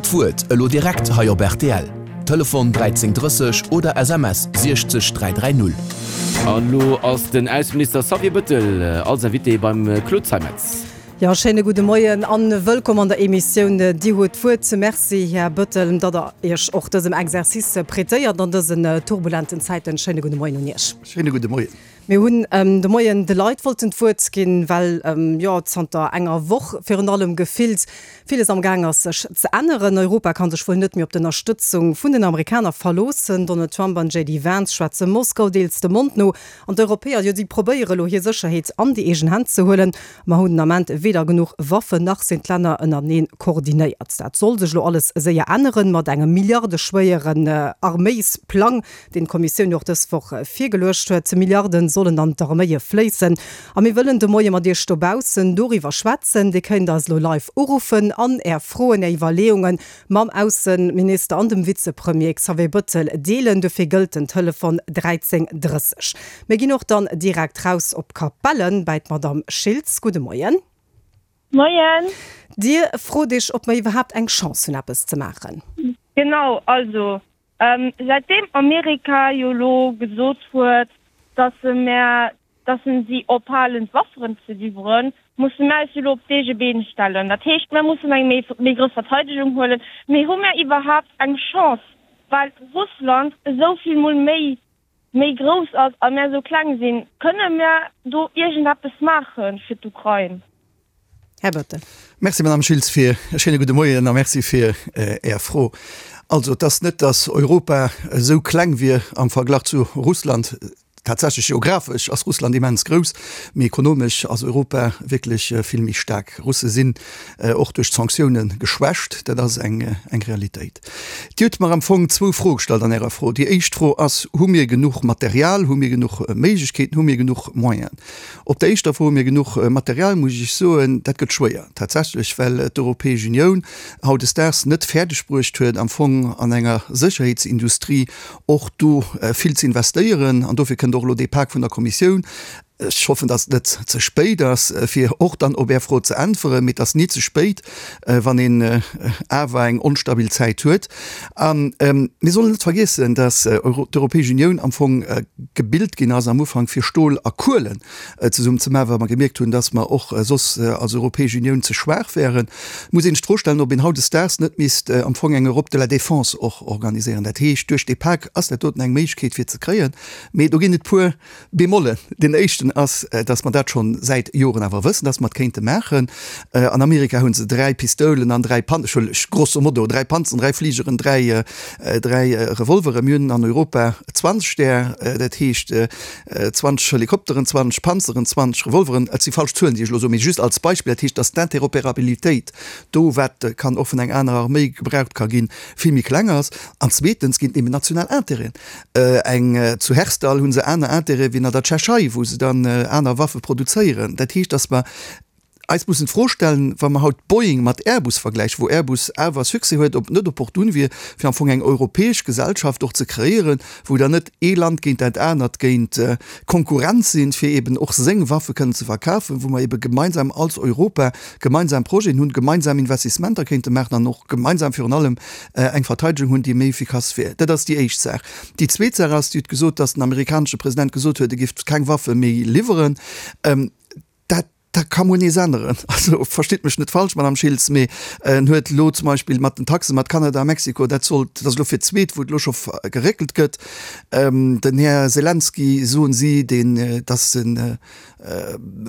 huet d'Wuert, elo direkt hei op rtl. Telefon 13 30 oder SMS 60 330. An elo ass den Ausseminister Xavier Bëttel als Invité beim Claude Zeimetz. Jo, schéine gudde Moien an wëllkomm an der Emissioun Dir huet d'Wuert. Merci, Här Bëttel, datt Der Iech och dësem Exercice prêtéiert an dësen turbulenten Zäiten. Schéine gudde Moien un Iech. Schéine gudde Moien. Mir hunn de Moien de Leit wollten d'Wuert ginn, well jo zanter enger Woch virun allem gefillt villes am Gaang ass sech ze änneren. Europa ka sech wuel net méi op d'Ënnerstëtzung vun den Amerikaner verloossen. Donald Trump an JD Vance schwätze Moskau deels de Mond no an d'Europäer, jo si probéiere lo hir Sécherheet an déi eegen Hänn ze huelen. Mer hunn den Ament weder genuch Waffen nach sinn d'Länner ënnerteneen koordinéiert. Dat soll sech elo alles séier änneren, mat engem milliardeschwéieren Arméisplang, deen d'Kommissioun jo och dës Woch virgeluecht huet. Milliarden sollen an d'Arméie fléissen. A mir wëllen de Moie mat Iech dobaussen doriwwer schwätzen. Dir kënnt eis elo live uruffen an Är Froen, Är Iwwerleeungen mam Ausseminister an dem Vizepremier Xavier Bëttel deelen. Dofir gëllt den Telefon 13 30. Mir ginn och dann direkt raus op Capellen bäi d'Madamm Schiltz. Gudde Moien. Moien. Dir frot Iech, ob mer iwwerhaapt eng Chance hunn, eppes ze maachen. Genau, also säitdeem Amerika jo elo gesot huet, datt se mär dass en si ophalen d'Wafferen ze liwweren, musse mär eis jo elo op d'eege Been stellen. Dat heescht, mär mussen eng méi méi grouss Verteidegung huelen. Mee hu mär iwwerhaapt eng Chance, well Russland esou vill mol méi méi grouss ass a mär esou kleng sinn? Kënne mär do iergendeppes maache fir d'Ukrain? Här Bettel. Merci, Madame Schiltz, fir e schéine gudde Moien a merci fir Är Fro. Also, et ass net, dass Europa esou kleng wier am Verglach zu Russland. Tatsächlech geographesch ass Russland immens grouss, mee ekonomesch ass Europa wierklech vill méi staark. Russe sinn och duerch d'Sanktioune geschwächt, dat ass eng Realitéit. Dir hutt mer am Fong zwou Froe gestallt an Ärer Fro. Déi éischt Fro ass, Hu mir genuch Material, hu mir genuch Méiglechkeeten, hu mir genuch Moyenen? Op der éischter Fro, hu mir genuch Material, muss ech soen, dat gëtt schwéier tatsächlech, well d'Europäesch Unioun hautdesdaags net fäerdegbruecht huet, am Fong an enger Sécherheetsindustrie och do vill ze investéieren. An dofir kënnt och elo dee Pak vun der Kommissioun. Ech hoffen, datt et net ze spéit ass, fir och dann op Är Fro ze äntweren. Mee et ass ni ze spéit, wann een awer eng onstabil Zäit huet. A mir sollen net vergiessen, datt d'Europäesch Unioun am Fong gebilt ginn ass am Ufank, fir Stol a Kuelen zesummen ze maachen, well mer gemierkt hunn, dass mer och soss als Europäesch Unioun ze schwaach wären. Et muss een sech d'Fro stellen, ob een hautdesdaags net misst am Fong eng Europe de la défense och organiséieren. Dat heescht, duerch dee Pak ass dat doten eng Méiglechkeet fir ze kréien, mee do ginn et puer Bémollen. Deen éischten ass, dass mer dat scho säit Joren awer wëssen, dass mer et kéinte maachen. An Amerika hu se 3 Pistoulen an 3 Pan-, ech huelen grosso modo, 3 Panzeren, 3 Fligeren, 3, 3 Revolveren. Mir hunn an Europa 20 där, dat heescht, 20 Helikopteren, 20 Panzeren, 20 Revolveren, et si falsch Zuelen, déi ech elo soen, mee just als Beispill, dat heescht, datt d'Interopérabilitéit do, wat kann och vun enger anerer Arméi gebraucht ka ginn, vill méi kleng ass. An zweetens ginn et eben national Intérêten. Eng zu Herstal hu se aner Intérêtë wéi an der Tschechei, wou se dann aner Waffe produzéieren. Dat heescht, datt mer eis mussen d'Fro stellen, wa mer haut Boeing mat Airbus vergläichen, wou Airbus awer Succès huet, ob et net opportun wier, fir am Fong eng europäesch Gesellschaft och ze kreéieren, wou dann net ee Land géint dat anert géint Konkurrenz sinn, fir eben och seng Waffe kënnen ze verkafen, wou mer ebe gemeinsam als Europa gemeinsam Projeten hunn, gemeinsam Investissementer kéinte maachen an och gemeinsam virun allem eng Verteidegung hunn, déi méi efficace wier. Dat ass déi éischt Saach. Déi zweet Saach ass, Dir hutt gesot, dass den amerikanesche President gesot huet, e géif keng Waffe méi liwweren. Dat Dat ka muer nees änneren. Also, verstitt mech net falsch, Madame Schiltz, mee en huet elo zum Beispill mat den Taxen mat Kanada a Mexiko, dat sollt, dat ass elo fir d'zweet, wou et elo scho geréckelt gëtt. Den Här Selenskyj, soen si, deen, dass en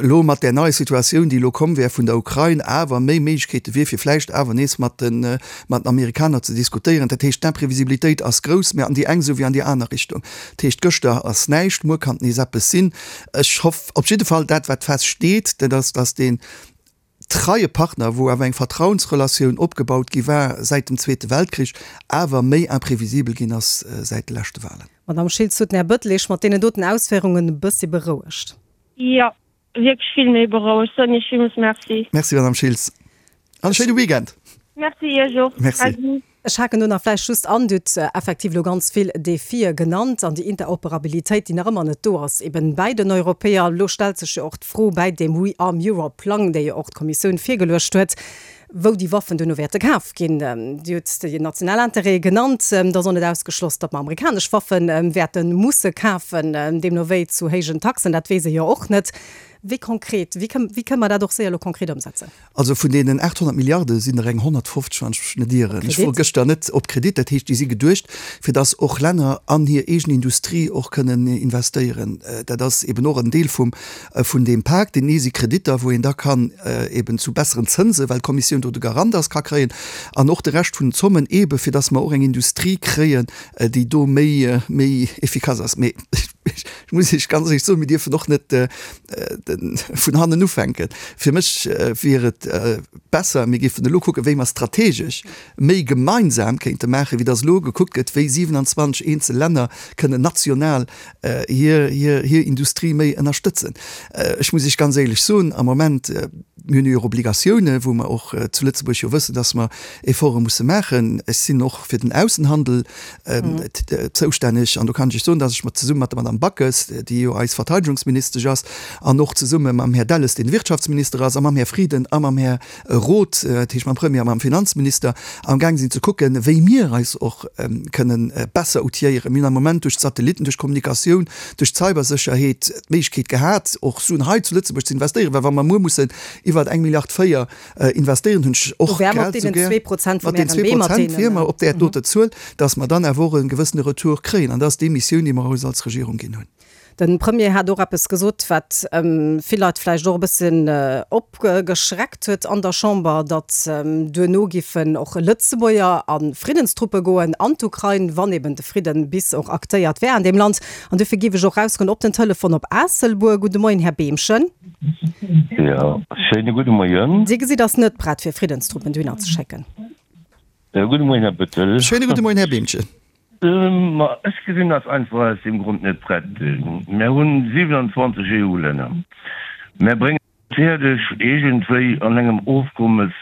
elo mat där neier Situatioun, déi elo komm wär vun der Ukrain, awer méi Méiglechkeete wier, fir vläicht awer nees mat den, mat den Amerikaner ze diskutéieren. Dat heescht, d'Imprevisibilitéit ass grouss, mä an déi eng esou wéi an déi aner Richtung. Dat heescht, gëschter ass näischt, muer kann et nees eppes sinn. Ech hoff op jidde Fall, dat wat fest steet, dat ass, datt deen treie Partner, wou awer eng Vertrauensrelatioun opgebaut gi war säit dem Zweete Weltkrich, awer méi imprevisibel ginn ass säit de leschte Wahlen. Madamm Schiltz, huet den Här Bëttel Iech mat deenen doten Ausféierungen e bëssi berouegt? Jo, wierklech vill méi berouegt. Soen Iech villmools Merci. Merci, Madamm Schiltz, an e schéine Weekend. Merci Iech och. Merci. Ady. Ech haken do nach vläicht just an, Dir hutt effektiv elo ganz vill Defie genannt an déi Interoperabilitéit, déi nach ëmmer net do ass, eben bäi den Europäer. Elo stellt sech jo och d'Fro bäi deem ReArm Europe Plang, dee jo och d'Kommissioun virgeluecht huet. wou déi Waffen duerno wäerte kaf ginn. Dir hutt déi national Intérêtë genannt. Et ass och net ausgeschloss, datt mer amerikanesch Waffe wäerte musse kafen, deemno wéi zu héijen Taxen. Dat weess ee jo och net. Wéi konkret, wéi kënne mer dat och séier elo konkret ëmsetzen? Also vun deenen 800 Milliarde sinn der eng 150, wann ech mech net ieren, ech wor gëschter net, op Kredit. Dat heescht, déi si geduecht, fir datt och Länner an hir eegen Industrie och kënnen investéieren. Dat ass eben och en Deel vum, vun deem Pak. Deen ee si Kreditter, wou een da kann eben zu besseren Zënsen, well d'Kommissioun do de Garant ass, ka kréien. An och de Rescht vun den Zommen eben, fir datt mer och eng Industrie kréien, déi do méi, méi efficace ass. Mee ech muss Iech ganz éierlech soen, mir dierfen och net vun hannen ufänken. Fir mech wier et besser, mir géifen elo kucken, wéi mer strategesch méi gemeinsam kéinte maachen, wéi datt elo gekuckt gëtt, wéi 27 eenzel Länner kënnen national hir, hir, hir Industrie méi ënnerstëtzen. Ech muss Iech ganz éierlech soen, am Moment, mir hunn jo och Obligatiounen, wou mer och zu Lëtzebuerg jo wëssen, datt mer Efforte musse maachen. Ech sinn och fir den Aussenhandel zoustänneg an do kann ech Iech soen, datt ech mat zesumme mat der Madame Backes, déi jo eis Verteidigungsministesch ass, an och zesumme mam Här Delles, deen Wirtschaftsminister ass, a mam Här Frieden a mam Här Roth, dat heescht mam Premier a mam Finanzminister, amgaang sinn ze kucken, wéi mir eis och kënnen besser outilléieren. Mir hunn am Moment duerch d'Satellitten, duerch d'Kommunikatioun, duerch d'Cybersécherheet d'Méiglechkeet gehat, och Suen hei zu Lëtzebuerg ze investéieren, well wa mer muer mussen iwwer eng Milliard 4 investéieren, hunn ech och grad esou gär, mat den 2% wier mer op där doter Zuel, datt mer dann awer och e gewëssene Retour kréien. An dat ass déi Missioun, déi mer eis als Regierung ginn hunn. De Premier hat och eppes gesot, wat vill Leit vläicht och e bësschen opgeschreckt huet an der Chamber, datt duerno giffen och Lëtzebuerger a Friddenstruppe goen an d'Ukrain, wann eben de Fridden bis och aktéiert wär an deem Land. An dofir géif ech och rausgoen op den Telefon op Aasselbuer. Gudde Moien, Här Behmchen. Jo, schéine gudde Moien. Dir gesitt ass net prett fir Friddenstruppen dohinner ze schécken. Gudde Moien, Här Bettel. Schéine gudde Moien, Här Behmchen. Ma ech gesinn eis einfach aus deem Grond net prett. Mär hunn 27 EU-Länner. Mär bréngen et fäerdeg, iergendwéi an engem Ofkommes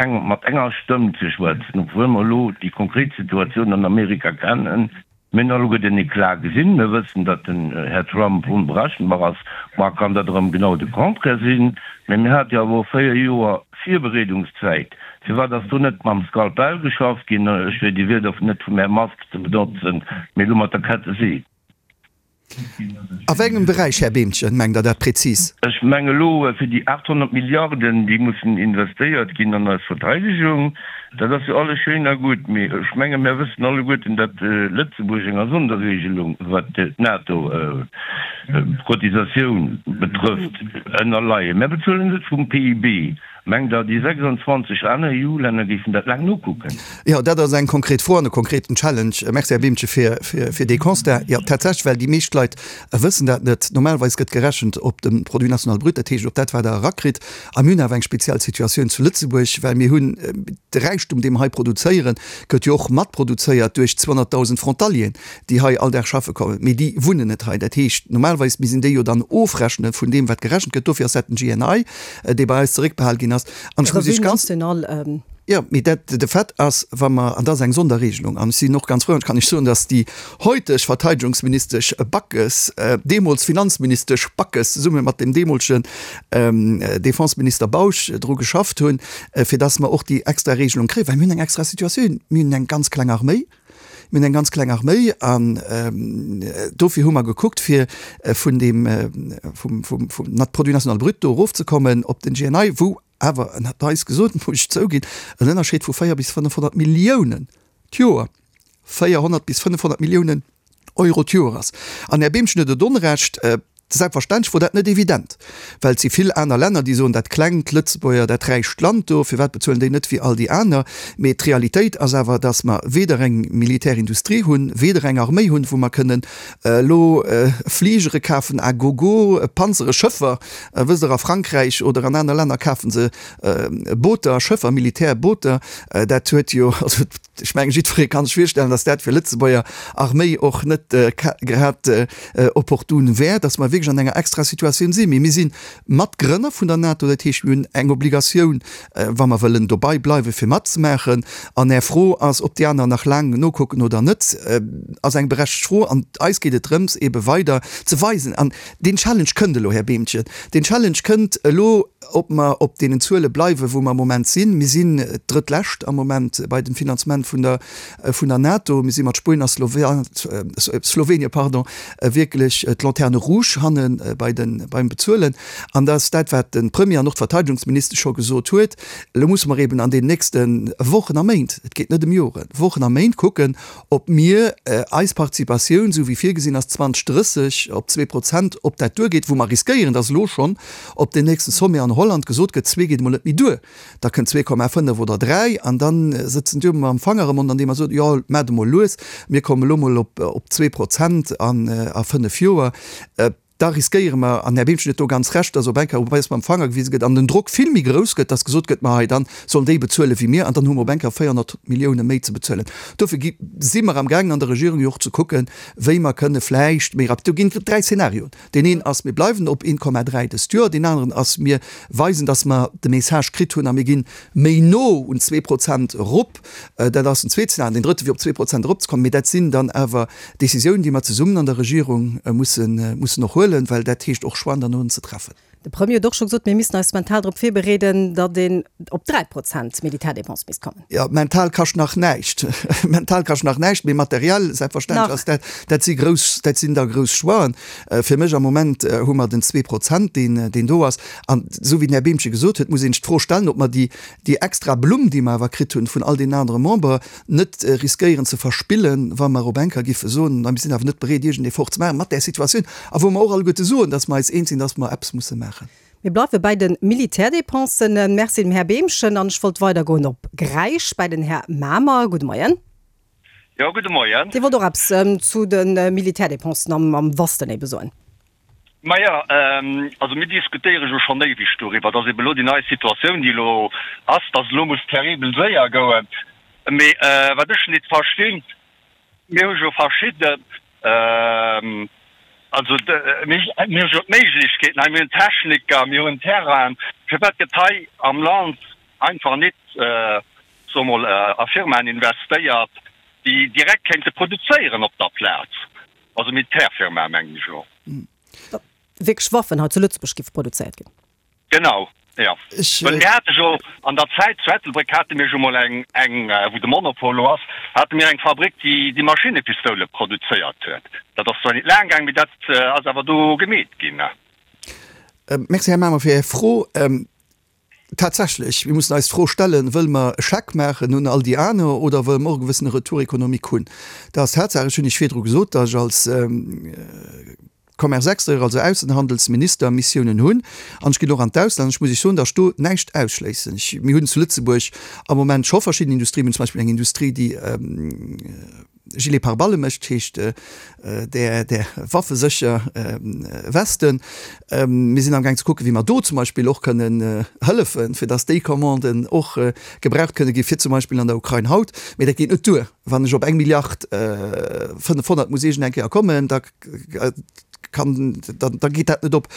eng mat enger Stëmm ze schwätzen, obwuel mer elo déi konkret Situatioun an Amerika kennen. Mir hunn alleguer den Eclat gesinn. Mir wëssen, datt den Här Trump onberechenbar ass. Mar kann dat erëm genau de Contraire sinn. Mä mir hate jo awer och 4 Joer Virbereedungszäit. Firwat ass do net mam Skalpell geschafft ginn, ech fir déi Wierder net vum Här Musk ze benotzen, mee elo mat der Kettesee? A wéi engem Beräich, Här Behmchen, mengt Der dat prezis? Ech menge elo fir déi 800 Milliarden, déi mussen investéiert ginn an eis Verteidegung. Dat ass jo alles schéin a gutt, mee ech menge mir wëssen alleguerten, datt Lëtzebuerg enger Sonderregelung, wat d'NATO-Cotisatioun betrëfft, ënnerleien. Mir bezuelen net vum PIB. Mengt Der, déi 26 aner EU-Länner géifen dat laang nokucken? Jo, dat ass eng konkret Fro an e konkreten Challenge. Merci, Här Behmchen, fir dee Constat. Jo, tatsächlech, well déi meescht Leit wëssen dat net. Normalerweis gëtt gerechent op dem Produit national brut, dat heescht op dat, wat Der erakritt. A mir hunn awer eng speziell Situatioun zu Lëtzebuerg, well mir hunn de Räichtum, dee mer hei produzéieren, gëtt jo och matproduzéiert duerch 200.000 Frontalieren, déi hei all Dag schaffe kommen, mee déi wunnen net hei. Dat heescht, normalerweis misst een déi jo dann ofrechne vun deem, wat gerechent gëtt. Dofir ass dat den GNI, dee bei eis zeréckbehal ginn ass. An ech muss Iech ganz. Jo, mee dat, de Fait ass, wa mer, an dat ass eng Sonderregelung, an ech sinn och ganz frou, an ech kann Iech soen, datt déi heuteg Verteidigungsministesch Backes, deemools Finanzministesch Backes, zesumme mat dem deemolegen Defenseminister Bausch dru geschafft hunn, fir datt mer och déi extra Regelung kréien, well mir hunn eng extra Situatioun, mir hunn eng ganz kleng Arméi. Mir hunn eng ganz kleng Arméi an dofir hu mer gekuckt, fir vun deem, vum, vum, vum Produit national brut do erofzekommen op den GNI, wou awer, en hat eis gesot, muss ech zouginn, en Ënnerscheed vu 4 bis 500 Milliounen d'Joer, 400 bis 500 Milliounen Euro d'Joer ass. An Här Behmchen huet et Onrecht, Selbstverständlech wor dat net evident, well et si vill aner Länner, déi soen, dat klengt Lëtzebuerger, dat räicht Land do, firwat bezuelen déi net wéi all déi aner? Mee d'Realitéit ass awer, datt mer weder eng Militärindustrie hunn, weder eng Arméi hunn, wou mer kënnen elo Fligere kafen à gogo, Panzere, Schëffer. Wësst Der, a Frankräich oder an aner Länner kafe se Booter, Schëffer, Militärbooter. Dat huet jo, also Ech mengen, jiddweree kann sech virstellen, datt dat fir Lëtzebuerger Arméi och net grad opportun wär, datt mer wierklech. wierklech an enger extra Situatioun sinn. Mee mir si Matgrënner vun der NATO, dat heescht, mir hunn eng Obligatioun, wa mer wëllen dobei bleiwen, fir matzemaachen. An Är Fro ass, ob déi aner nach laang nokucken oder net, ass eng berechtegt Fro. An eis geet et drëms, eebe weider ze weisen, an deen Challenge kënnt elo, Här Behmchen, deen Challenge kënnt elo, ob mer op deenen Zuele bleiwen, wou mer am Moment sinn. Mir sinn d'drëttlescht am Moment bei dem Finanzement vun der vun der NATO. Mir si mat Spuenien a Slowenien, pardon, wierklech d'Lanterne rouge hanne bei den, beim Bezuelen. An dat ass dat, wat de Premier an och d'Verteidigungsministesch scho gesot huet. Elo musse mer eben an den nächste Wochen a Méint, et geet net ëm Joren, Wochen a Méint kucken, ob mir eis Participatioun, esou wéi virgesinn ass, 2030 op 2%, ob dat duergeet, wou mer riskéieren, dass elo schonn op deem nächste Sommet an Holland gesot gëtt, zwee geet emol net méi duer. Da kënnt 2,5 oder 3 an da sëtzen déi mam Fanger am Mond, andeem mer soen, jo, maacht emol lues, mir kommen elo mol op 2% a 5 Joer. Da riskéiere mer, an Här Bimchen huet do ganz Recht, dass op eng Kéier op eis mam Fanger gewise gëtt an den Drock vill méi grouss gëtt, dass gesot gëtt, ma hei, da sollen déi bezuele wéi mir an dann hu mer op eng Kéier 400 Millioune méi ze bezuelen. Dofir gi si mer amgaangen an der Regierung jo och ze kucken, wéi mer kënne vläicht méi rapid, do ginn et 3 Szenarioen, Deen een ass, mir bleiwen op 1,3 dëst Joer. Deen aneren ass, mir weisen, datt mer de Message kritt hunn a mir ginn méi no un 2% erop. Dat ass den zweete Szenario. Deen drëtte wier, op 2% eropzekommen. Mee dat sinn dann awer Décisiounen, déi mer zesummen an der Regierung mussen, mussen och huelen, well dat heescht och Choixen derno ze treffen. De Premier huet och scho gesot, mir missten eis mental drop virbereeden, datt een op 3% Militärdépense misst kommen. Jo, mental kascht nach näischt. Mental kascht nach näischt, mee materiell selbstverständlech ass dat, dat si grouss, dat sinn da grouss Choixen. Fir mech am Moment hu mer den 2%, deen, deen do ass. An esou wéi den Här Behmchen gesot huet, muss een sech d'Fro stellen, ob mer déi, déi extra Blumm, déi mer awer kritt hunn vun all deenen anere Membere, net riskéieren ze verspillen, wa mer op eng Kéier giffe soen, mir sinn awer net bereet, iergend Effort ze maachen mat där Situatioun, a wou mer och alleguerte soen, dass mer eis eens sinn, dass mer eppes musse maachen. Mir bleiwe bäi de Militärdépensen. Merci dem Här Behmchen. An ech wollt weidergoen op Gräisch bäi den Här Mamer. Gudde Moien. Jo, gudde Moien. Dir wollt och eppes zu de Militärdépensen am Wasten ebe soen. Maja, also mir diskutéiere jo schonn éiweg doriwwer, dass ebe lo déi nei Situatioun, déi elo ass, dass elo muss terribel séier goen. Mee wat ech nit verstinn, mir hu jo verschidde, also mir hu jo d'Méiglechkeeten hei, mir hunn Techniker, mir hunn Terrainen, firwat gëtt hei am Land einfach nit, soe mol, a Firmaen investéiert, déi direkt kéinte produzéieren op der Plaz? Also Militärfirmae mengen ech elo. Datt wierklech Waffen hei zu Lëtzebuerg géife produzéiert ginn. Genau, jo. Well mir hate jo an der Zäit zu Ettelbréck hate mir jo mol eng, eng, wou de Monopol elo ass, hate mir eng Fabrik, déi déi Maschinnepistoule produzéiert huet. Dat ass zwar nit laang gaang, mee dat ass awer do gemeet ginn. Merci, Här Mamer, fir Är Fro. Tatsächlech, mir mussen eis d'Fro stellen, Wëlle mer e Scheck maachen un all déi aner oder wëlle mer och e gewëssene Retour économique hunn? Dat ass Tatsaach. Ech hunn Iech virdru gesot, datt ech als Commerce extérieur, also Aussenhandelsminister, Missiounen hunn an ech ginn och an d'Ausland. Ech muss Iech soen, datt ech do näischt ausschléissen. Ech, mir hunn zu Lëtzebuerg am Moment scho verschidden Industrien. Mir hunn zum Beispill eng Industrie, déi, Gilet pare-balles mécht, heescht där där waffesécher Westen. Mir sinn amgaang ze kucken, wéi mer do zum Beispill och kënnen hëllefen, fir datt déi Commanden och gebraucht kënne gi fir zum Beispill an der Ukrain haut. Mee dat geet net duer. Wann ech op eng Milliard 500 muss iergend eng Kéier kommen, da kann, da geet dat net op.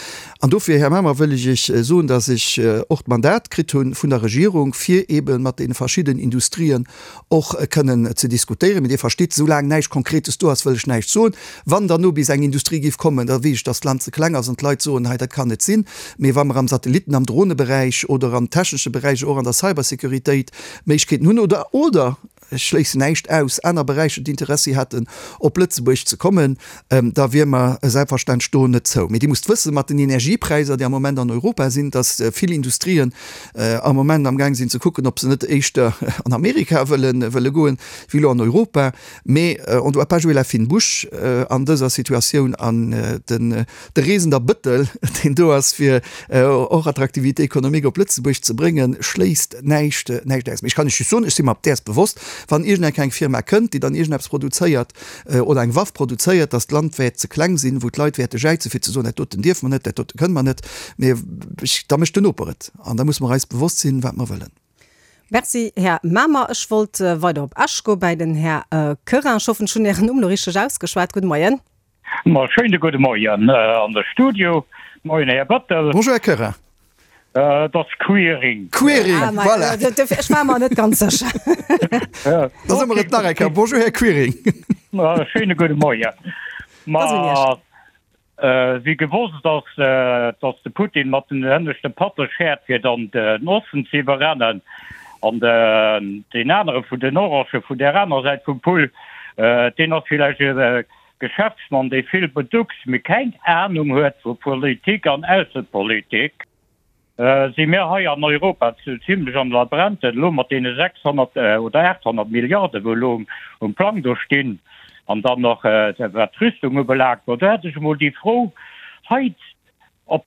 An dofir, Här Mamer, wëll ech Iech soen, datt ech och d'Mandat kritt hu vun der Regierung, fir eebe mat deene verschidden Industrien och kënnen ze diskutéieren. Mee Dir verstitt, soulaang näischt Konkretes do ass, wëll ech näischt soen. Wann dann no bis eng Industrie géif kommen, da weess ech, datt d'Land ze kleng ass an d'Leit soen, hei dat kann net sinn. Mee wa mer am Satellitten-, am Droneberäich oder am technesche Beräich, och an der Cybersécuritéit Méiglechkeeten hunn oder, oder, ech schléissen näischt aus, aner Beräicher d'Interessi hätten, op Lëtzebuerg ze kommen, da wier mer selbstverständlech do net zou. Mee Dir musst wëssen, mat den Energiepräisser, déi am Moment an Europa sinn, datt vill Industrien am Moment amgaang sinn ze kucken, ob se net éischter an Amerika wëlle wëlle goen, wéi elo an Europa. Mee on doit pas jouer la fine bouche an dëser Situatioun an den de Reesender Bëttel, deen do ass, fir och Attraktivité économique op Lëtzebuerg ze bréngen, schléisst näischt näischt aus. Mee ech kann Iech just soen, ech si mer däers bewosst, wann iergendeng eng Firma kënnt, déi dann iergendeppes produzéiert oder eng Waff produzéiert, datt d'Land wäert ze kleng sinn, wou d'Leit wäerte jäizen, fir ze soen, dat doten dierfe mer net, dat dote kënne mer net, mee ech, da mécht den Noper et. An da musse mer eis bewosst sinn, wat mer wëllen. Merci, Här Mamer. Ech wollt weider op Esch goe bäi den Här Querin. Ech hoffen, ech hunn Ären Numm elo richteg ausgeschwat. Gudde Moien. Ma schéine gudde Moien an de Studio. Moien, Här Bettel. Bonjour, Här Querin. Et ass Quiring. Quiring, ah, voilà. Ech war mer net ganz sécher. Da soe mer et nach eng Kéier. Bonjour, Här Quiring. Schéine gudde Moien. Ma wéi gewosst ass, datt de Putin mat den hënneschte Patte schäert, fir dann den Osten ze iwwerrennen an deen anere vun den Orangen vun där aner Säit vum Pull, deen ass villäicht e Geschäftsmann, dee vill beduckst, mee keng Anung huet vu Politik an Aussepolitik. Si mir hei an Europa zimlech am Labrente elo mat deene 600 oder 800 Milliarden, wou elo um Plang do stinn, an dann nach wat d'Rüstung ubelaangt. Bon, do hätt ech emol déi Fro hei op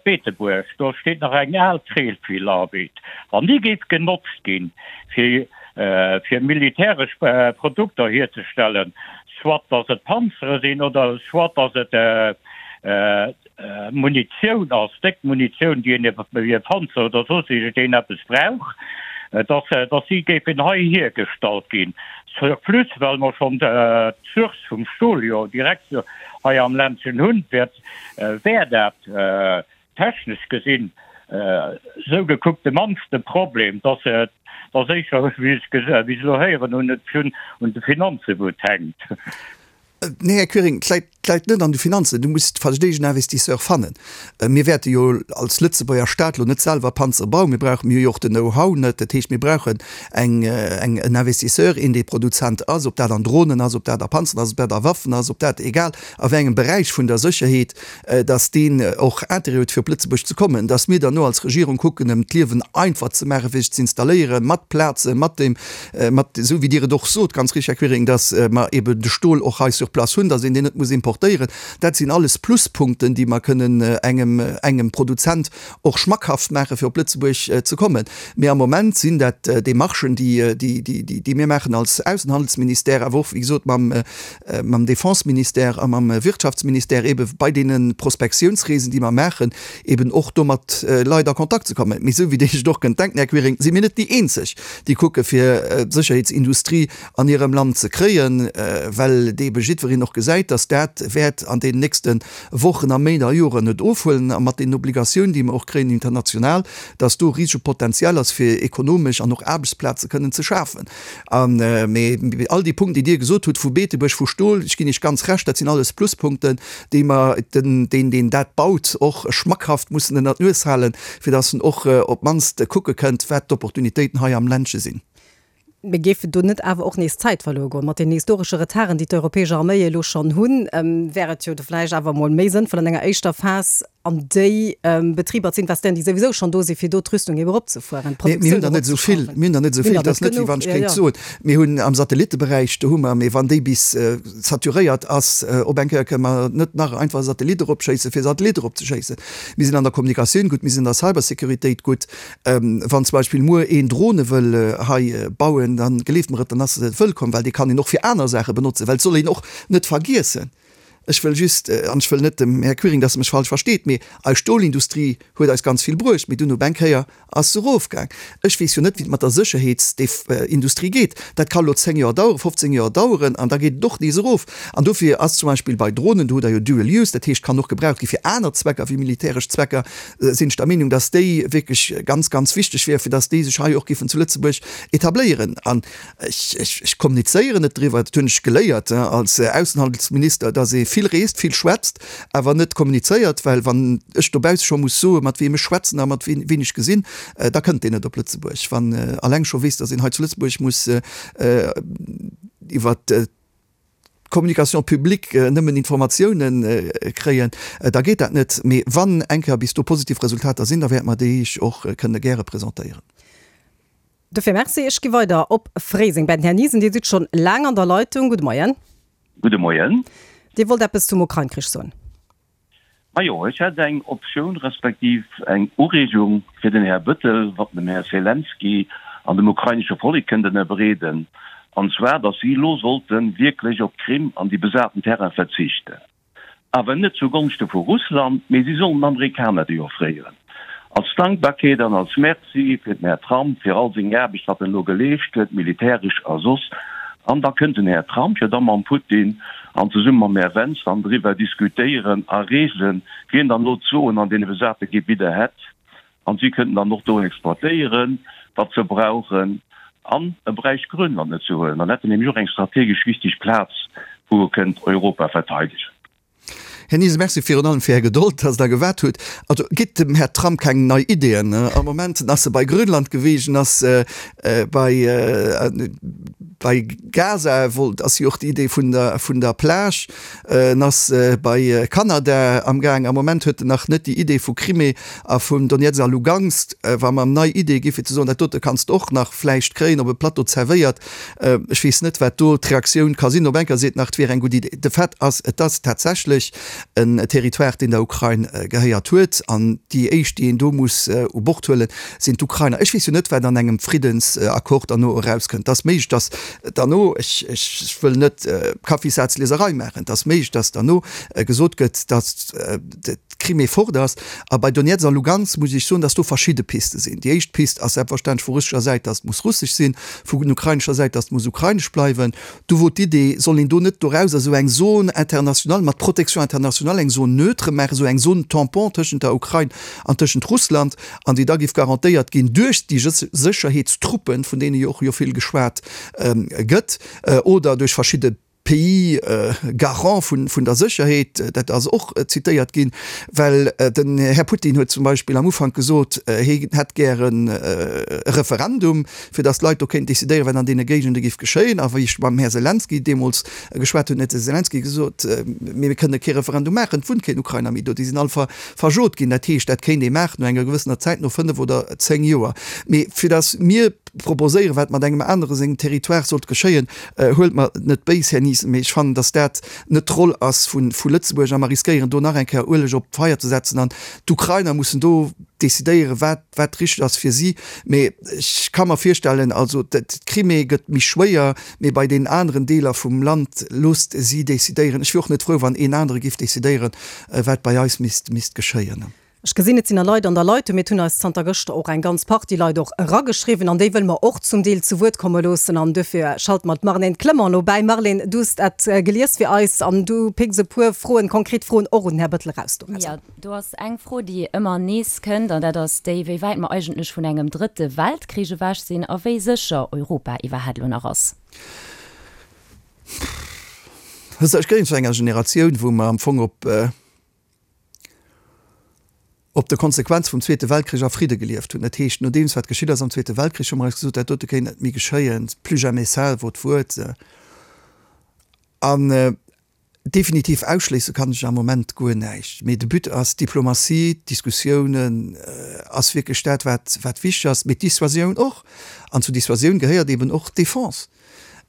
Beetebuerg, do steet nach eng al Tréllfilarbeit. Wann déi géif genotzt ginn, fir fir militäresch Produkter hierzestellen, soit datt et Panzere sinn oder soit datt et Munitioun ass, déck Munitioun, déi een fir e Panzer oder soss iergendeen eppes brauch, datt datt si géifen hei hiergestallt ginn. Surplus, well mer schonn d'Source vum Stol jo direkt hei am Ländchen hunn, wäert wär dat technesch gesinn esou gekuckt de mannste Problem, dass dass éischer, wéi ech wéi ech elo héieren hunn, et un de Finanze wou et hänkt. Nee, Här Quiring, et läit, et läit net an de Finanzen. Du muss versteegen Investisseur fannen. Mir wäerte jo als Lëtzebuerger Staat elo net selwer Panzere bauen. Mir brauchen, mir hu jo och den Know-how net. Dat heescht, mir brauchen eng, eng, en Investisseur, een, dee Produzent ass, ob dat an Dronen ass, ob dat a Panzeren ass, ob dat a Waffen ass, ob dat, egal a wéi engem Beräich vun der Sécherheet, dass deen och Intérêt huet fir op Lëtzebuerg ze kommen, dass mir dann no als Regierung kucken em d'Liewen einfach ze maachen, fir sech ze installéieren, mat Plazen, mat deem, mat esou wéi Dir et och sot, ganz richtig, Här Quiring, dass mer eben de Stol och hei sur place hunn, dass een deen net muss importéieren. Dat sinn alles Pluspunkten, déi mer kënnen engem, engem Produzent och schmackhaft maachen, fir op Lëtzebuerg ze kommen. Mee am Moment sinn dat Démarchen, déi, déi, déi, déi mir maachen als Aussenhandelsministère, awer och, wéi gesot, mam, mam Defenseministère a mam Wirtschaftsministère ebe bei deene Prospektiounsreesen, déi mer maachen, eben och do mat Leit a Kontakt ze kommen. Mee esou wéi Dir Iech et och kënnt denken, Här Quiring, si mir net déi eenzeg, déi kucke fir d'Sécherheetsindustrie an hirem Land ze kréien, well ebe jiddwereen och gesäit, datt dat wäert an deenen nächste Wochen a Méint a Joren net ofhuelen a mat deenen Obligatioun, déi mer och kréien international, datt do e risege Potential ass fir ekonomesch an och Aarbechtsplaze kënnen ze schafen. A mee all déi Punkten, déi Dir gesot hutt, vu Beetebuerg, vu Stol, ech ginn Iech ganz Recht, dat sinn alles Pluspunkten, déi mer den, deen, deen dat baut, och schmackhaft mussen ënner d'Nues halen, fir datt en och op d'mannst kucke kënnt, wat d'Opportunitéiten hei am Ländche sinn. Mee géif do net awer och nees Zäit verluer goen? Mat deenen historesche Retarden, déi d'europäesch Arméie elo schonn hunn, wär et jo do vläicht awer emol méi sënnvoll, an enger éischter Phas an déi Betriber ze investéieren, déi souwisou schonn do sinn, fir do d'Rüstung eben eropzefueren, d'Produktioun Mir hunn der net esou vill, mir hunn der net esou vill, et ass net, wéi wann ech kéint soen, mir hunn am Satellitteberäich, do hu mer, mee wann déi bis saturéiert ass, op eng Kéier kënne mer net nach einfach e Satellit eropschéissen, fir e Satellit eropzeschéissen. Mir sinn an der Kommunikatioun gutt, mir sinn an der Cybersécuritéit gutt. Wann zum Beispill muer een Drone wëll hei bauen, da gleeft mer et, dann ass e wëllkomm, well dee kann een och fir aner Saache benotzen, well et soll een och net vergiessen, ech wëll just, an ech wëll net dem Här Quiring, dass e mech falsch versteet, mee eis Stolindustrie huet eis ganz vill bruecht, mee dunn op eng Kéier ass se erofgaang. Ech weess jo net, wéi et mat der Sécherheetsindustrie geet. Dat ka lo 10 Joer daueren, 15 Joer daueren an da geet et och nees erof. An dofir ass zum Beispill bei Dronen, do hutt Der jo Dual Use, dat heescht, kann och gebraucht gi fir aner Zwecker wéi militäresch Zwecker, sinn ech der Meenung, dass déi wierklech ganz, ganz wichteg wär, fir dass déi sech hei och géifen zu Lëtzebuerg etabléieren. An ech, ech, ech kommunizéieren net driwwer, dat hunn ech geléiert als Aussenhandelsminister, dass ee vill reest, vill schwätzt, awer net kommunizéiert, well wann ech dobausse scho muss soen, mat weem ech schwätzen a mat ween, ween ech gesinn, da kënnt deen net op Lëtzebuerg. Wann alleng scho weess, dass een hei zu Lëtzebuerg muss iwwert d'Communication publique nëmmen Informatiounen kréien, da geet dat net. Mee wann eng Kéier bis do positiv Resultater sinn, da wäerte mer déi Iech och kënne gäre presentéieren. Dofir Merci. Ech gi weider op Fréiseng bei den Här Niesen. Dir sidd schonn laang an der Leitung. Gudde Moien. Gudde Moien. Dir wollt eppes zum Ukrain-Krich soen. Majo, ech hätt eng Optioun respektiv eng Ureegung fir den Här Bëttel, wat en dem Här Selenskyj an dem ukrainesche Vollek kënnt ënnerbreeden, an zwar, datt si elo sollte wierklech op d'Krim an déi besaten Terraine verzichten. Awer net zu Gonschte vu Russland, mee si sollen den Amerikaner déi offréieren. Als Dankbarkeet an als Merci fir den Här Trump, fir all seng Aarbecht, wat en elo geleescht huet, militäresch a soss. An da kënnt den Här Trump jo da mam Putin an zesumme mam Här Vance dann driwwer diskutéieren a regelen, wien dann elo d'Soen an deene besate Gebidder hätt. An si kënnten dann och do exploitéieren, wat se brauchen. An e bräicht Grönland net ze huelen, dann hätt en nämlech och eng strategesch wichteg Plaz, wou e kënnt Europa verteidegen. Här Niesen, Merci virun allem fir Är Gedold, dass Der gewaart hutt. Also gitt dem Här Trump keng nei Ideeën. Am Moment ass e bei Grönland gewiescht, en ass bei bei Gaza, wollt, ass jo och déi Idee vun der vun der Plage, en ass bei Kanada amgaang. Am Moment huet en nach net déi Idee vu Crimée a vun Donezk a Lugansk. Wa mer em nei Ideeë gi fir ze soen, dat dote kanns de och nach vläicht kréien, op e Plateau zerwéiert, Ech weess net, wat do d'Reaktioun ka sinn. Op enker seet nach, et wier eng gutt Idee. De Fait ass, et ass tatsächlech en Territoire, deen der Ukrain gehéiert huet. An déi éischt, déi een do muss u Bord huelen, sinn d'Ukrainer. Ech weess jo net, wat an engem Friddensaccord derno erauskënnt. Et ass méiglech, datt derno, ech wëll net Kaffissazlieserei maachen, et ass méiglech, datt derno gesot gëtt, datt d'Crimée fort ass. A bei Donezk a Lugansk muss ech soen, datt do verschidde Piste sinn. Déi éischt Pist ass selbstverständlech vu russescher Säit, datt et muss russesch sinn. Vun ukrainescher Säit, datt muss ukrainesch bleiwen. Du wor d'Idee, soll een do net dorauser esou eng Zone internationale mat Protection internationale, eng Zone neutre maachen, esou eng Zone tampon tëschent der Ukrain an tëschent Russland, an déi da géif garantéiert ginn duerch déi Sécherheetstruppen, vun deene jo och jo vill geschwat gëtt, oder duerch verschidde Pays garant vun der Sécherheet, dat ass och zitéiert ginn, well den Här Putin huet zum Beispill am Ufank gesot, hie hätt gären e Referendum, fir datt d'Leit do kéinten decidéieren, wat an deene Géigende géif geschéien. A wéi ech mam Här Selenskyj deemools geschwat hunn, huet de Selenskyj gesot, Mir kënne kee Referendum maachen, et wunnt keen Ukrainer méi do, déi sinn all verjot ginn. Dat heescht, dat kéint ee maachen no enger gewëssener Zäit, no 5 oder 10 Joer. Mee fir datt mir proposéieren, wat mat engem anere sengem Territoire sollt geschéien, Huelt mer et net béis, Här Niesen, mee ech fannen, datt dat net d'Roll ass vu Lëtzebuerg a mer riskéieren do nach eng Kéier Ueleg op d'Feier ze setzen an d'Ukrainer mussen do decidéieren, wat wat richteg ass fir si. Mee ech ka mer virstellen, also d'Crimée gëtt méi schwéier, mee bei deenen aneren Deeler vum Land loosst si decidéieren. Ech wier och net frou, wann een anere géif decidéieren, wat bei eis misst misst geschéien. Ech gesinn, et sinn nach Leit an der Leitung. Mee et hunn eis zanter gëschter och eng ganz Partie Leit och erageschriwwen an déi wëlle mer och zum Deel zu Wuert komme loossen. An duerfir schalte mer d'Marlène Clement elo bäi. Marlène, du hues dat gelies fir eis an du picks e puer Froen, konkret Froen och un den Här Bettel eraus dorauser. Jo, do ass eng Fro, déi ëmmer nees kënnt, an dat ass déi, wéi wäit mer eigentlech vun engem drëtte Weltkrich ewech sinn a wéi sécher Europa iwwerhat elo nach ass. Ech gehéieren zu enger Generatioun, wou mer am Fong op, op de Konsequenze vum Zweete Weltkrich a Fridde gelieft hunn. Dat heescht, nodeems wat geschitt ass am Zweete Weltkrich, hu mer eis gesot, dat dote kéint net méi geschéien, plus jamais ça wor d'Wuert. An definitiv ausschléisse kann ech am Moment guer näischt. Mee de But ass d'Diplomatie, d'Diskussiounen ass wierklech dat, wat wat wichteg ass, mee d'Dissuasioun och. An zur Dissuasioun gehéiert eeben och d'Defense.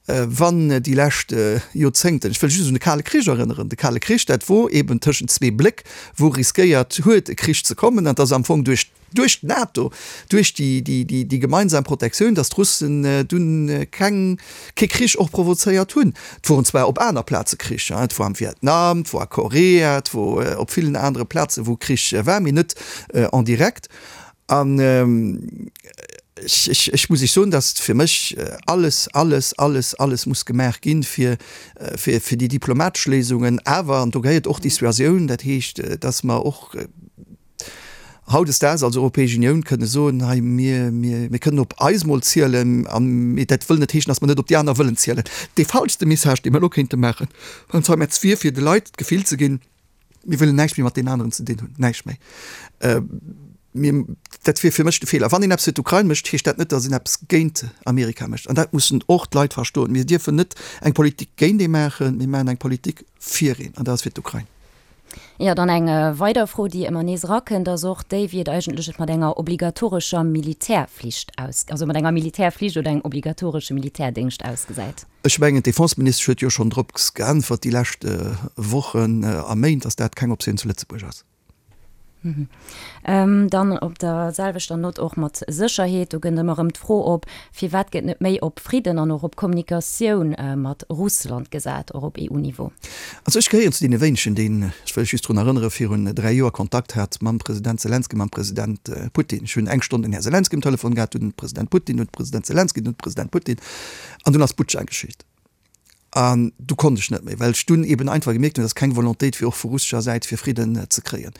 Wann déi lescht Joerzéngten, ech wëll just un de Kale Krich erënneren, de Kale Krich, dat wor eben tëschent zwee Bléck, wou riskéiert huet e Krich ze kommen, an et ass am Fong duerch, duerch d'NATO, duerch déi, déi, déi, déi gemeinsam Protektioun, datt d'Russen dunn keng, kee Krich och provozéiert hunn. Et woren zwar op aner Plaze Kricher, et wor am Vietnam, et wor a Korea, et wor op villen anere Plaze wou Krich war, mee net en direct. An ech, ech muss Iech soen, datt fir mech alles, alles, alles, alles muss gemaach ginn, fir, fir, fir déi diplomatesch Léisungen awer, an do gehéiert och Dissuasioun, dat heescht, datt mer och hautdesdaags als Europäesch Unioun kënne soen, hei mir, mir, mir kënnen op eis mol zielen, a mee dat wëll net heeschen, datt mer net op déi aner wëllen zielen. Dee falschste Message, dee mer elo kéinte maachen, beim Sommet, wier fir de Leit d'Gefill ze ginn, Mir wëllen näischt méi mat deenen aneren ze dinn hunn, näischt méi. Mir, dat wier fir mech de Feeler. Wann een eppes fir d'Ukrain mécht, heescht dat net, datt een eppes géint Amerika mécht. An dat mussen och d'Leit verstoen. Mir dierfen net eng Politik géint ee maachen, mir maachen eng Politik fir een, an dat ass fir d'Ukrain. Jo, dann eng weider Fro, déi ëmmer nees erakënnt, ass och déi, wéi et eigentlech mat enger obligatorescher Militärflicht aus, also mat enger Militärflicht oder engem obligatoresche Militärdéngscht ausgesäit. Ech mengen, d'Defenseministesch huet jo schonn drop geäntwert déi lescht Wochen a Méint, datt dat keng Optioun zu Lëtzebuerg ass. Dann op der selwechter Nott och mat Sécherheet, do gëtt ëmmer erëm d'Fro op, firwat gëtt net méi op Fridden an och op Kommunikatioun mat Russland gesat, och op EU-Niveau? Also ech gehéieren zu deene wéinegen, deen, ech wëll lech just drun erënneren, virun 3 Joer Kontakt hat mam President Selenskyj, mam President Putin. Ech hunn eng Stonn den Här Selenskyj um Telefon gehat, dunn den President Putin, dunn de President Selenskyj, dunn de President Putin. An dunn ass Butscha geschitt. An du konnt ech net méi, well ech dunn eben einfach gemierkt hunn, dass keng Volontéit wier och vu russescher Säit fir Fridden ze kréien.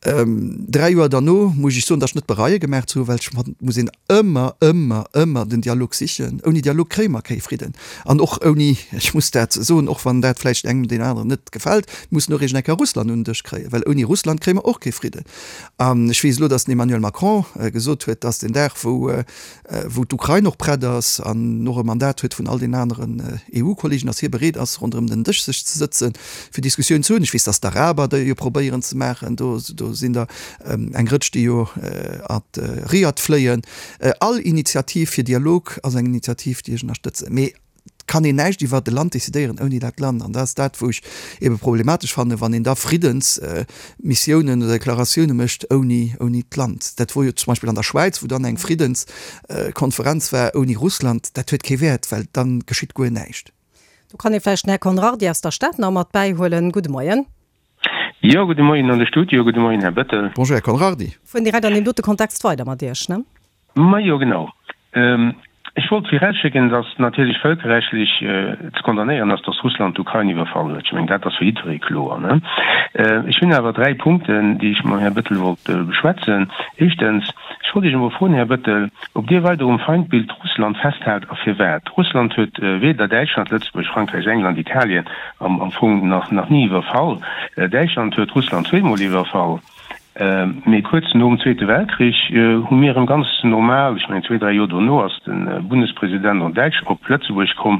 3 Joer derno muss ech soen, dass ech net bereie gemaach ze hunn, well ech fannen, et muss een ëmmer, ëmmer, ëmmer den Dialog sichen. Ouni Dialog kréie mer kee Fridden. An och ouni, ech muss dat soen, och wann dat vläicht engem deen aneren net gefält, mir mussen och iergend eng Kéier Russland un den Dësch kréien, well ouni Russland kréie mer och kee Fridden. An ech weess elo, dass den Emmanuel Macron gesot huet, dass den Dag, wou wou d'Ukrain och prett ass an och e Mandat huet vun all den aneren EU-Kollegen, datt hie bereet ass, ronderëm den Dësch sech ze sëtzen, fir Diskussioun ze hunn. Ech weess, datt d'Araber déi jo probéieren ze maachen. Do do sinn der eng Rëtsch, déi jo ad Riad fléien. All Initiativ fir Dialog ass eng Initiativ, déi ech ënnerstëtzen. Mee Et kann een näischt iwwert e Land decidéieren ouni dat Land. An dat ass dat, wou ech ebe problematesch fannen, wann een da Friddensmissiounen oder Deklaratioune mécht ouni, ouni d'Land. Dat wor jo zum Beispill an der Schwäiz, wou dann eng Friddenskonferenz war ouni Russland. Dat huet kee Wäert, well da geschitt guer näischt. Do kann ee vläicht den Här Conrardy aus der Stad nach mat bäihuelen. Gudde Moien. Jo, gudde Moien an de Studio, gudde Moien, Här Bettel. Bonjour, Här Conrardy. Fueren direkt an deem dote Kontext weider mat Iech, ne? Majo, genau. Ech wollt virausschécken, datt natierlech vëlkerrechtlech ze condamnéieren ass, datt Russland d'Ukrain iwwerfall huet. Ech mengen, dat ass fir jiddweree kloer. Ech hunn awer 3 Punkten, déi ech mam Här Bettel wollt beschwätzen. Éischtens, ech wollt Iech emol froen, Här Bettel, ob Dir weider um Feindbild Russland festhalt a firwat. Russland huet weder Däitschland, Lëtzebuerg, Frankräich, England, Italien am Fong nach ni iwwerfall. Däitschland huet Russland zweemol iwwerfall. Mee kuerz nom Zweete Weltkrich hu mir erëm ganz normal, ech mengen zwee, dräi Joer dono ass de Bundespresident en Däitsch op Lëtzebuerg komm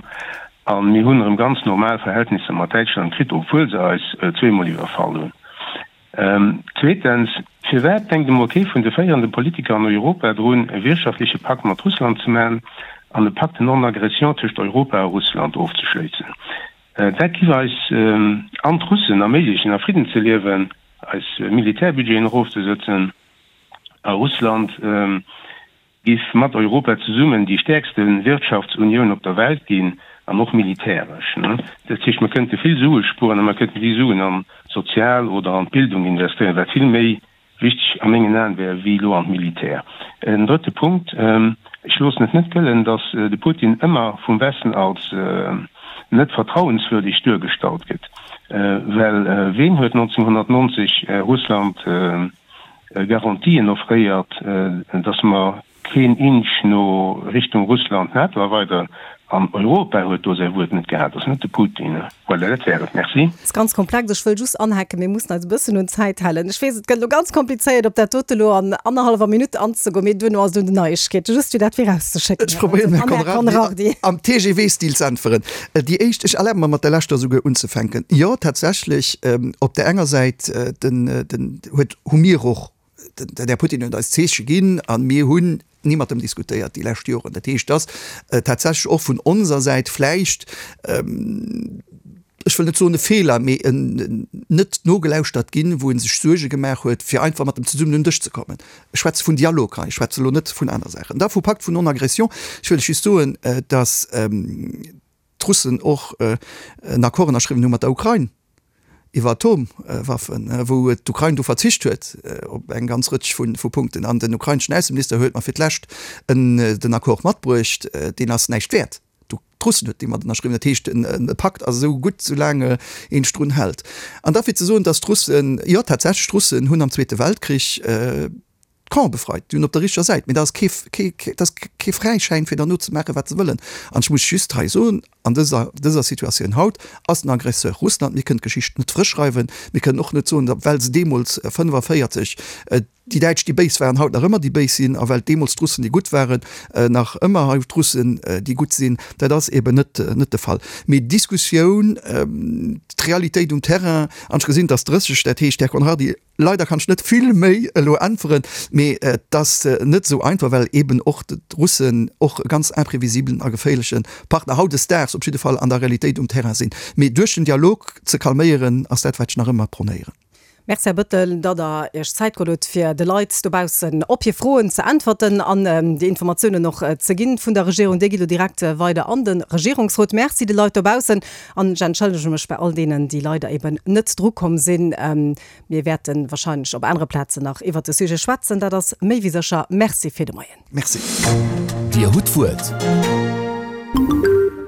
a mir hunn erëm ganz normal Verhältnisser mat Däitschland kritt, obwuel se eis zweemol iwwerfall hunn. Zweetens, firwat denkt emol kee vun de féierende Politiker an Europa drun, e wirtschaftleche Pakt mat Russland ze man an e Pacte non-agression tëscht Europa a Russland ofzeschléissen? Dat giff eis an d'Russen erméiglechen a Fridden ze liewen, eis Militärbudgeten erofzesëtzen a Russland giff mat Europa zesummen déi stäerkste Wirtschaftsunioun op der Welt ginn an och militäresch. Dat heescht, mer kënnte vill Sue spueren a mer kënnten déi Suen an d'Sozial oder an d'Bildung investéieren, wat vill méi Wichteg a mengen Aen wär wéi elo an d'Militär. En drëtte Punkt, Ech loossen et net gëllen, datt de Putin ëmmer vum Westen als net vertrauenswürdeg duergestallt gëtt. Well ween huet 1990 Russland Garantien offréiert, datt mer Keen Inch no Richtung Russland, NATO erweideren, an Europa huet do säi Wuert net gehat, ass net de Putin. Voilà, dat wär et. Merci. Ass ganz komplex. Ech wëll just anhaken, mir mussen eis e bëssen un d'Zäit halen. Ech weess, et gëtt elo ganz komplizéiert, op dat dote elo an annerhallwer Minutt anzegoen, mee duerno ass et un den Neiegkeeten. Just fir dat virauszeschécken, Ech probéieren, Här Conrardy, am TGV-Stil ze äntweren. Déi éischt, ech erlabe mer, mat der leschter esouguer unzefänken. Jo, tatsächlech, op där enger Säit, den, den huet, hu mir och, Den Här Putin huet eis Zeeche ginn a mir hunn ni mat em diskutéiert déi lescht Joren. Dat heescht, dass tatsächlech och vun onser Säit vläicht, ech wëll net soen e Feeler, mee en net nogelauschtert ginn, wou e sech Suerge gemaach huet, fir einfach mat em zesummen un den Dësch ze kommen. Ech schwätze vun Dialog hei, ech schwätze elo net vun aner Saachen. Da vu Pakt vun Non-Agression, ech wëll lech just soen, dass d'Russen och en Accord ënnerschriwwen hu mat der Ukrain iwwer Atomwaffen, wou d'Ukrain du verzicht huet op eng ganz Rëtsch vu Punkten. An den ukraineschen Ausseminister huet mer fir d'lescht den Accord matbruecht, deen ass näischt wäert. D'Russen huet dee mat ënnerschriwwen. Dat heescht, e Pakt ass esou gutt, soulaang een sech drun hält. An da fir ze soen, datt d'Russen, jo tatsächlech, d'Russen hunn am Zweete Weltkrich, D'Camp befreit, déi hunn op der richteger Säit, mee dat ass kee, kee, dat ass kee Fräischäin fir derno ze maachen, wat se wëllen. An ech muss just hei soen, an dëser, dëser Situatioun haut ass den Aggresseur Russland. Mir kënnen d'Geschicht net frësch schreiwen. Mir kënnen och net soen, datt well se deemools 45 déi Däitsch déi Béis waren, haut nach ëmmer déi Béis sinn, a well deemools d'Russen déi Gutt waren, nach ëmmer haut d'Russen déi Gutt sinn. Dat ass eben net, net de Fall. Mee d'Diskussioun, d'Realitéit um Terrain, an ech gesinn, et ass 30, dat heescht, Här Conrardy, Leider kann ech net vill méi elo äntweren, mee et ass net esou einfach, well eben och d'Russen och e ganz imprévisibelen a geféierleche Partner hautdesdaags op jidde Fall an der Realitéit um Terrain sinn. Mee duerch den Dialog ze calméieren, ass dat, wat ech nach ëmmer pronéieren. Merci, Här Bettel, datt Der Iech Zäit geholl hutt, fir de Leit dobaussen op hir Froen ze äntwerten an déi Informatiounen och ze ginn vun der Regierung. Déi gi lo direkt weider an de Regierungsrot. Merci de Leit dobaussen an ech entschëllege mech bei all deenen, déi leider eben net drukomm sinn. Mir wäerte wahrscheinlech op anere Plazen nach iwwert de Sujet schwätzen, dat ass méi wéi sécher. Merci fir de Moien. Merci. Dir hutt d'Wuert.